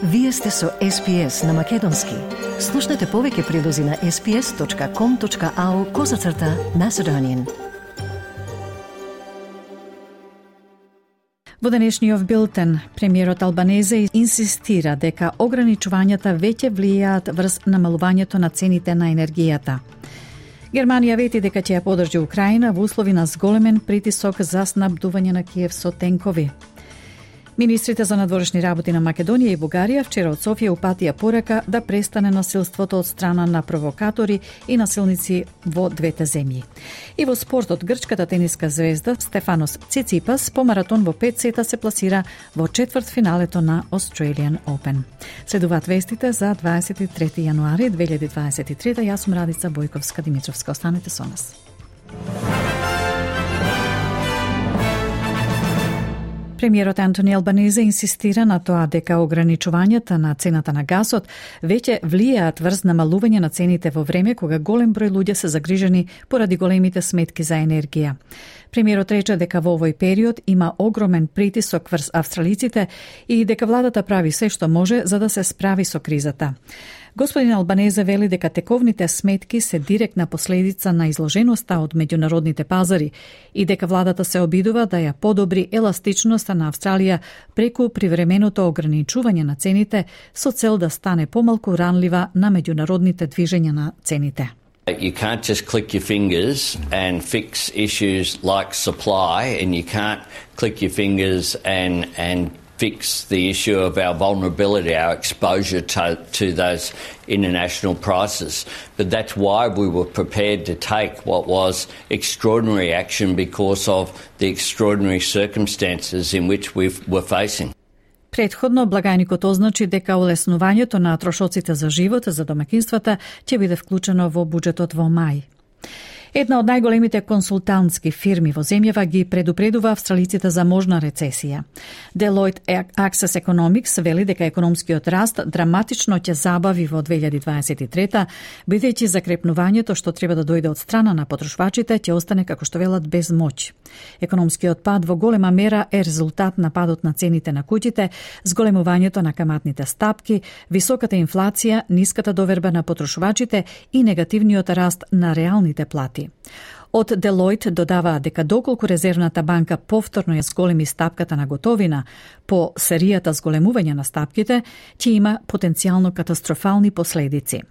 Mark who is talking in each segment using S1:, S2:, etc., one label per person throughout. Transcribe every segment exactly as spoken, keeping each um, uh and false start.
S1: Вие сте со Ес Пи Ес на Македонски. Слушнете повеќе прилози на ес пи ес точка ком точка ау козацрта Macedonian.
S2: Во денешниот билтен, премиерот Албанезе инсистира дека ограничувањата веќе влијаат врз намалувањето на цените на енергијата. Германија вети дека ќе ја поддржи Украина во услови на зголемен притисок за снабдување на Киев со тенкови. Министрите за надворешни работи на Македонија и Бугарија вчера од Софија упатија порака да престане насилството од страна на провокатори и насилници во двете земји. И во спортот, грчката тениска звезда Стефанос Циципас по маратон во пет сета се пласира во четвртфиналето на Australian Open. Следуваат вестите за дваесет и трети јануари две илјади дваесет и трета. Јас сум Радица Бојковска-Димитровска. Останете со нас. Премиерот Антони Албанезе инсистира на тоа дека ограничувањата на цената на гасот веќе влијаат врз намалување на цените во време кога голем број луѓе се загрижени поради големите сметки за енергија. Премиерот рече дека во овој период има огромен притисок врз австралиците и дека владата прави се што може за да се справи со кризата. Господин Албанезе вели дека тековните сметки се директна последица на изложеноста од меѓународните пазари и дека владата се обидува да ја подобри еластичноста на Австралија преку привременото ограничување на цените со цел да стане помалку ранлива на меѓународните движења на цените.
S3: You can't just click your fingers and fix issues like supply, and you can't click your fingers and and fix the issue of our vulnerability, our exposure to, to those international prices. But that's why we were prepared to take what was extraordinary action because of the extraordinary circumstances in which we were facing.
S2: Предходно, благајникот означи дека олеснувањето на трошоците за живот за домакинствата ќе биде вклучено во буџетот во мај. Една од најголемите консултантски фирми во земјава ги предупредува австралиците за можна рецесија. Deloitte Access Economics вели дека економскиот раст драматично ќе забави во две илјади дваесет и трета, бидејќи закрепнувањето што треба да дојде од страна на потрошвачите ќе остане, како што велат, без моќ. Економскиот пад во голема мера е резултат на падот на цените на куќите, зголемувањето на каматните стапки, високата инфлација, ниската доверба на потрошвачите и негативниот раст на реалните плати. Од Deloitte додаваа дека доколку Резервната банка повторно ја зголеми стапката на готовина по серијата зголемување на стапките, ќе има потенцијално катастрофални последици.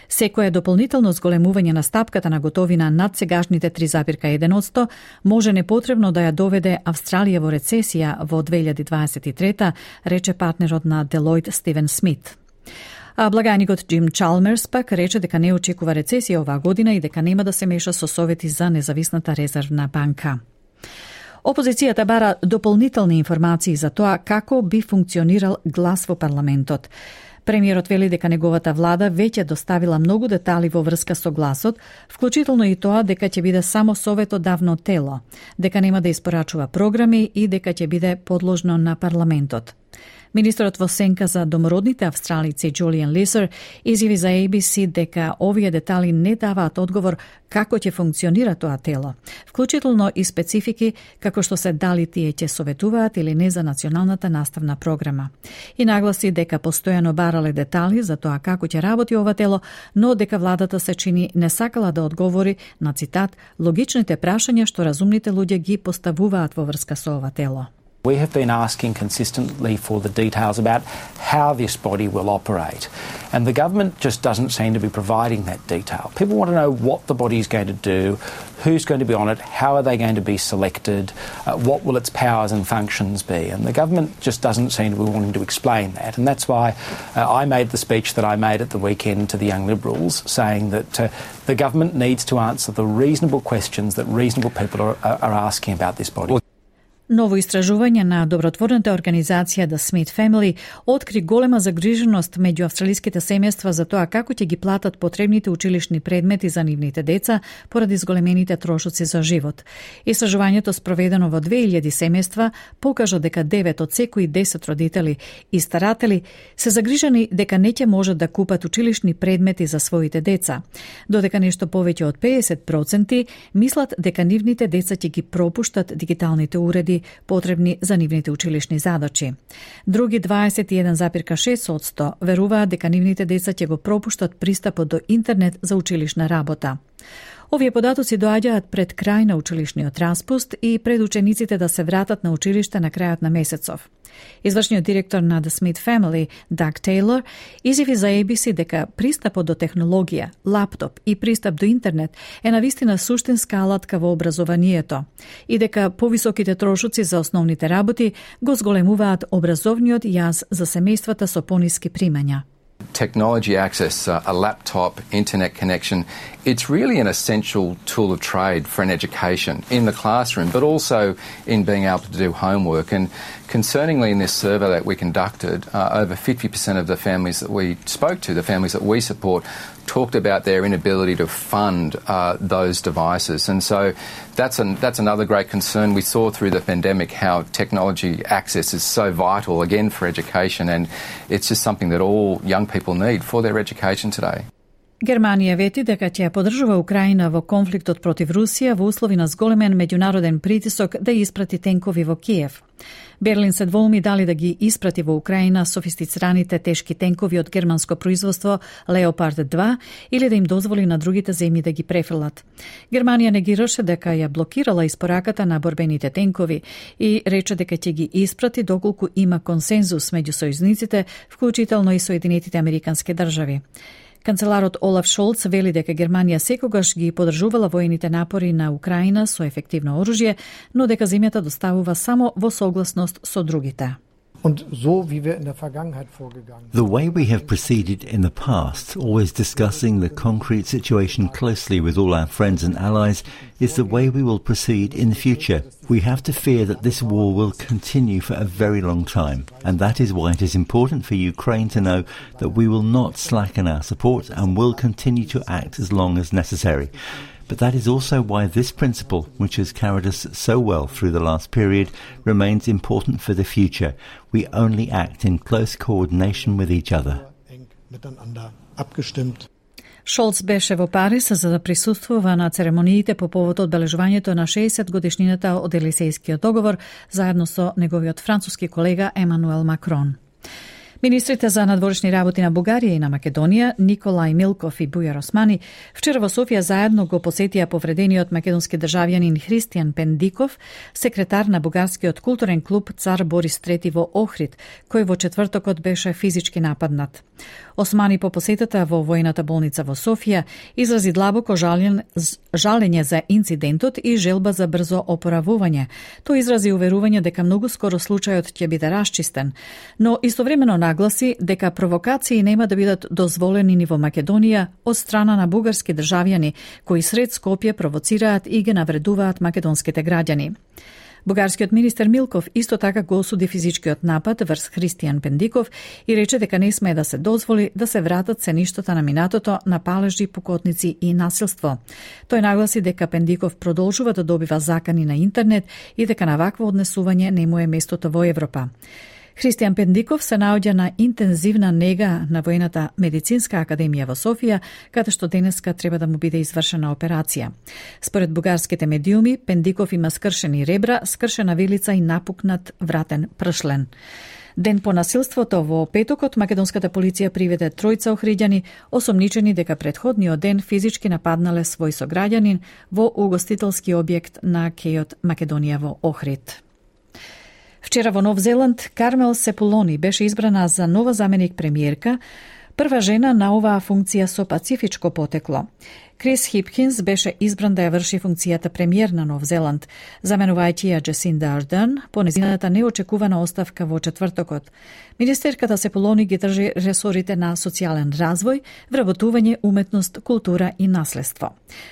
S2: Секое дополнително зголемување на стапката на готовина над сегашните три зарез и еден одсто може непотребно да ја доведе Австралија во рецесија во две илјади дваесет и трета, рече партнерот на Deloitte Стивен Смит. А благајникот Джим Чалмерс пак рече дека не очекува рецесија оваа година и дека нема да се меша со совети за независната резервна банка. Опозицијата бара дополнителни информации за тоа како би функционирал глас во парламентот. Премиерот вели дека неговата влада веќе доставила многу детали во врска со гласот, вклучително и тоа дека ќе биде само советодавно тело, дека нема да испорачува програми и дека ќе биде подложно на парламентот. Министерот во сенка за домородните австралици Джулиан Лисер изјави за Ей Би Си дека овие детали не даваат одговор како ќе функционира тоа тело, вклучително и специфики како што се дали тие ќе советуваат или не за националната наставна програма. И нагласи дека постојано барале детали за тоа како ќе работи ова тело, но дека владата се чини не сакала да одговори на, цитат, логичните прашања што разумните луѓе ги поставуваат во врска со ова тело.
S4: We have been asking consistently for the details about how this body will operate, and the government just doesn't seem to be providing that detail. People want to know what the body is going to do, who's going to be on it, how are they going to be selected, uh, what will its powers and functions be, and the government just doesn't seem to be wanting to explain that, and that's why uh, I made the speech that I made at the weekend to the Young Liberals, saying that uh, the government needs to answer the reasonable questions that reasonable people are, are asking about this body.
S2: Ново истражување на добротворната организација The Smith Family откри голема загриженост меѓу австралиските семејства за тоа како ќе ги платат потребните училишни предмети за нивните деца поради зголемените трошоци за живот. Истражувањето спроведено во две илјади семејства покажа дека девет од секои десет родители и старатели се загрижени дека не ќе можат да купат училишни предмети за своите деца, додека нешто повеќе од педесет проценти мислат дека нивните деца ќе ги пропуштат дигиталните уреди преводи потребни за нивните училишни задачи. Други дваесет и еден зарез шест одсто веруваат дека нивните деца ќе го пропуштат пристапот до интернет за училишна работа. Овие податоци доаѓаат пред крај на училишниот распуст и пред учениците да се вратат на училиште на крајот на месецов. Извршниот директор на The Smith Family, Doug Taylor, изјави за A B C дека пристапот до технологија, лаптоп и пристап до интернет е навистина суштинска алатка во образованието и дека повисоките трошоци за основните работи го зголемуваат образовниот јаз за семејствата со пониски примања.
S5: Technology access, uh, a laptop, internet connection, it's really an essential tool of trade for an education in the classroom, but also in being able to do homework. And concerningly, in this survey that we conducted, uh, over fifty percent of the families that we spoke to, the families that we support, talked about their inability to fund uh, those devices. And so that's, an, that's another great concern. We saw through the pandemic how technology access is so vital, again, for education, and it's just something that all young people need for their education today.
S2: Германија вети дека ќе поддржува Украина во конфликтот против Русија во услови на зголемен меѓународен притисок да испрати тенкови во Киев. Берлин се двоуми дали да ги испрати во Украина софистицираните тешки тенкови од германско производство Леопард два или да им дозволи на другите земји да ги префрлат. Германија негираше дека ја блокирала испораката на борбените тенкови и рече дека ќе ги испрати доколку има консензус меѓу сојузниците, вклучително и Соединетите Американски држави. Канцеларот Олаф Шолц вели дека Германија секогаш ги поддржувала воените напори на Украина со ефективно оружје, но дека земјата доставува само во согласност со другите.
S6: The way we have proceeded in the past, always discussing the concrete situation closely with all our friends and allies, is the way we will proceed in the future. We have to fear that this war will continue for a very long time, and that is why it is important for Ukraine to know that we will not slacken our support and will continue to act as long as necessary. But that is also why this principle, which has carried us so well through the last period, remains important for the future. We only act in close coordination with each other.
S2: Шолц беше во Париз за да присуствува на церемониите по повод одбележувањето на шеесет годишнината од Елисејскиот договор заедно со неговиот француски колега Емануел Макрон. Министрите за надворешни работи на Бугарија и на Македонија, Николај Милков и Бујар Османи, вчера во Софија заедно го посетија повредениот македонски државјанин Христијан Пендиков, секретар на бугарскиот културен клуб Цар Борис трети во Охрид, кој во четвртокот беше физички нападнат. Османи по посетата во војната болница во Софија изрази длабоко жален, жалење за инцидентот и желба за брзо опоравување. Тој изрази уверување дека многу скоро случајот ќе биде расчистен, но истовремено нагласи дека провокации нема да бидат дозволени ни во Македонија од страна на бугарски државјани кои сред Скопје провоцираат и ги навредуваат македонските граѓани. Бугарскиот министер Милков исто така го осуди физичкиот напад врз Христијан Пендиков и рече дека не смее да се дозволи да се вратат сеништата на минатото на палежи, пукотници и насилство. Тој нагласи дека Пендиков продолжува да добива закани на интернет и дека на вакво однесување не му е местото во Европа. Христијан Пендиков се наоѓа на интензивна нега на Војната медицинска академија во Софија, каде што денеска треба да му биде извршена операција. Според бугарските медиуми, Пендиков има скршени ребра, скршена вилица и напукнат вратен пршлен. Ден по насилството во петокот, македонската полиција приведе тројца охриѓани, осомничени дека претходниот ден физички нападнале свој сограѓанин во угостителски објект на кејот Македонија во Охрид. Вчера во Нов Зеланд, Кармел Сепулони беше избрана за нова заменик премиерка, прва жена на оваа функција со пацифичко потекло. Крис Хипкинс беше избран да ја врши функцијата премиер на Нов Зеланд, заменувајќи ја Джесинда Ардерн по незината неочекувана оставка во четвртокот. Министерката Сепулони ги држи ресорите на социјален развој, вработување, уметност, култура и наследство.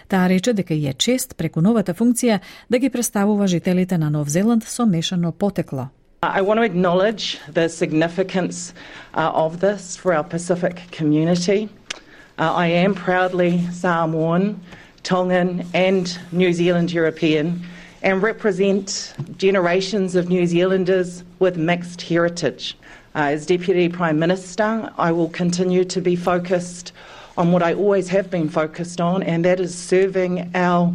S2: Таа рече дека е чест преку новата функција да ги представува жителите на Нов Зеланд со мешано потекло.
S7: I want to acknowledge the significance uh, of this for our Pacific community. Uh, I am proudly Samoan, Tongan and New Zealand European and represent generations of New Zealanders with mixed heritage. Uh, as Deputy Prime Minister, I will continue to be focused on what I always have been focused on, and that is serving our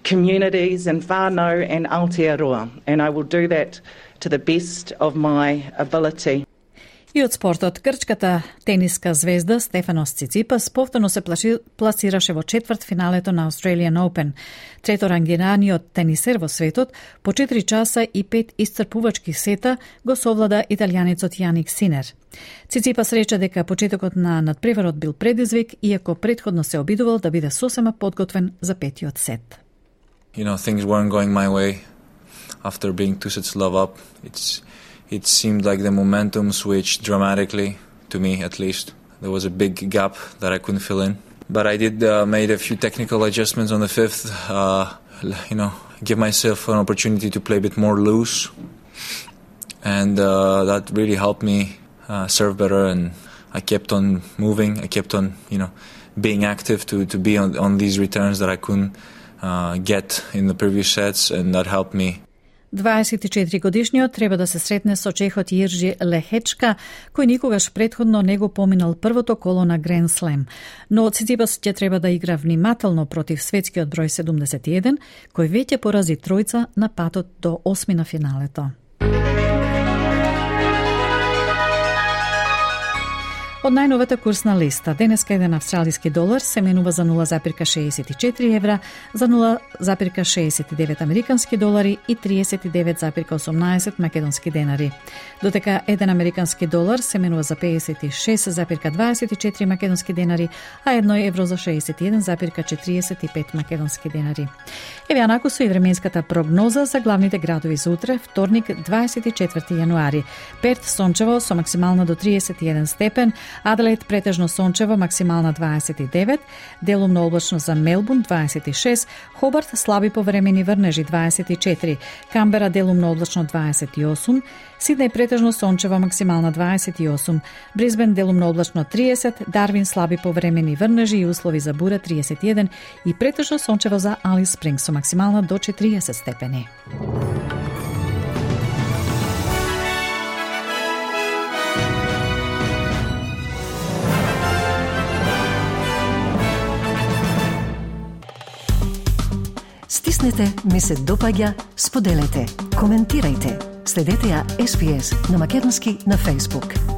S7: communities in whānau and Aotearoa, and I will do that to the best of my ability.
S2: И од спортот, грчката тениска звезда Стефанос Циципас повторно се пласираше во четврт финалето на Australian Open. Треторангираниот тенисер во светот по четири часа и пет исцрпувачки сета го совлада италијанецот Јаник Синер. Циципас рече дека почетокот на надпреварот бил предизвик, иако претходно се обидувал да биде сосема подготвен за петиот сет.
S8: You know, things weren't going my way after being two sets love up. It's It seemed like the momentum switched dramatically, to me at least. There was a big gap that I couldn't fill in. But I did uh, made a few technical adjustments on the fifth, uh, you know, give myself an opportunity to play a bit more loose. And uh, that really helped me uh, serve better, and I kept on moving. I kept on, you know, being active to, to be on, on these returns that I couldn't uh, get in the previous sets, and that helped me.
S2: дваесет и четири годишниот треба да се сретне со чехот Јиржи Лехечка, кој никогаш претходно не го поминал првото коло на Гранд Слем. Но Циципас ќе треба да игра внимателно против светскиот број седумдесет и еден, кој веќе порази тројца на патот до осми на финалето. Од најновата курсна листа, денеска еден австралиски долар се менува за нула запирка шеесет и четири евра, за нула запирка шеесет и девет американски долари и триесет и девет запирка осумнаесет македонски денари. Додека еден американски долар се менува за пеесет и шест запирка дваесет и четири македонски денари, а едно евро за шеесет и еден запирка четириесет и пет македонски денари. Еве анакусу и временската прогноза за главните градови за утре, вторник, дваесет и четврти јануари. Перт сончево со максимална до триесет и еден степен, Аделаид претежно сончево, максимална дваесет и девет, делумно облачно за Мелбурн дваесет и шест, Хобарт слаби повремени врнежи дваесет и четири, Камбера делумно облачно дваесет и осум, Сиднеј претежно сончево, максимална дваесет и осум, Брисбен делумно облачно триесет, Дарвин слаби повремени врнежи и услови за бура триесет и еден и претежно сончево за Алис Спрингс со максимална до четириесет степени.
S1: Стиснете, ми се допаѓа, споделете, коментирајте. Следете ја Ес Би Ес на македонски на Facebook.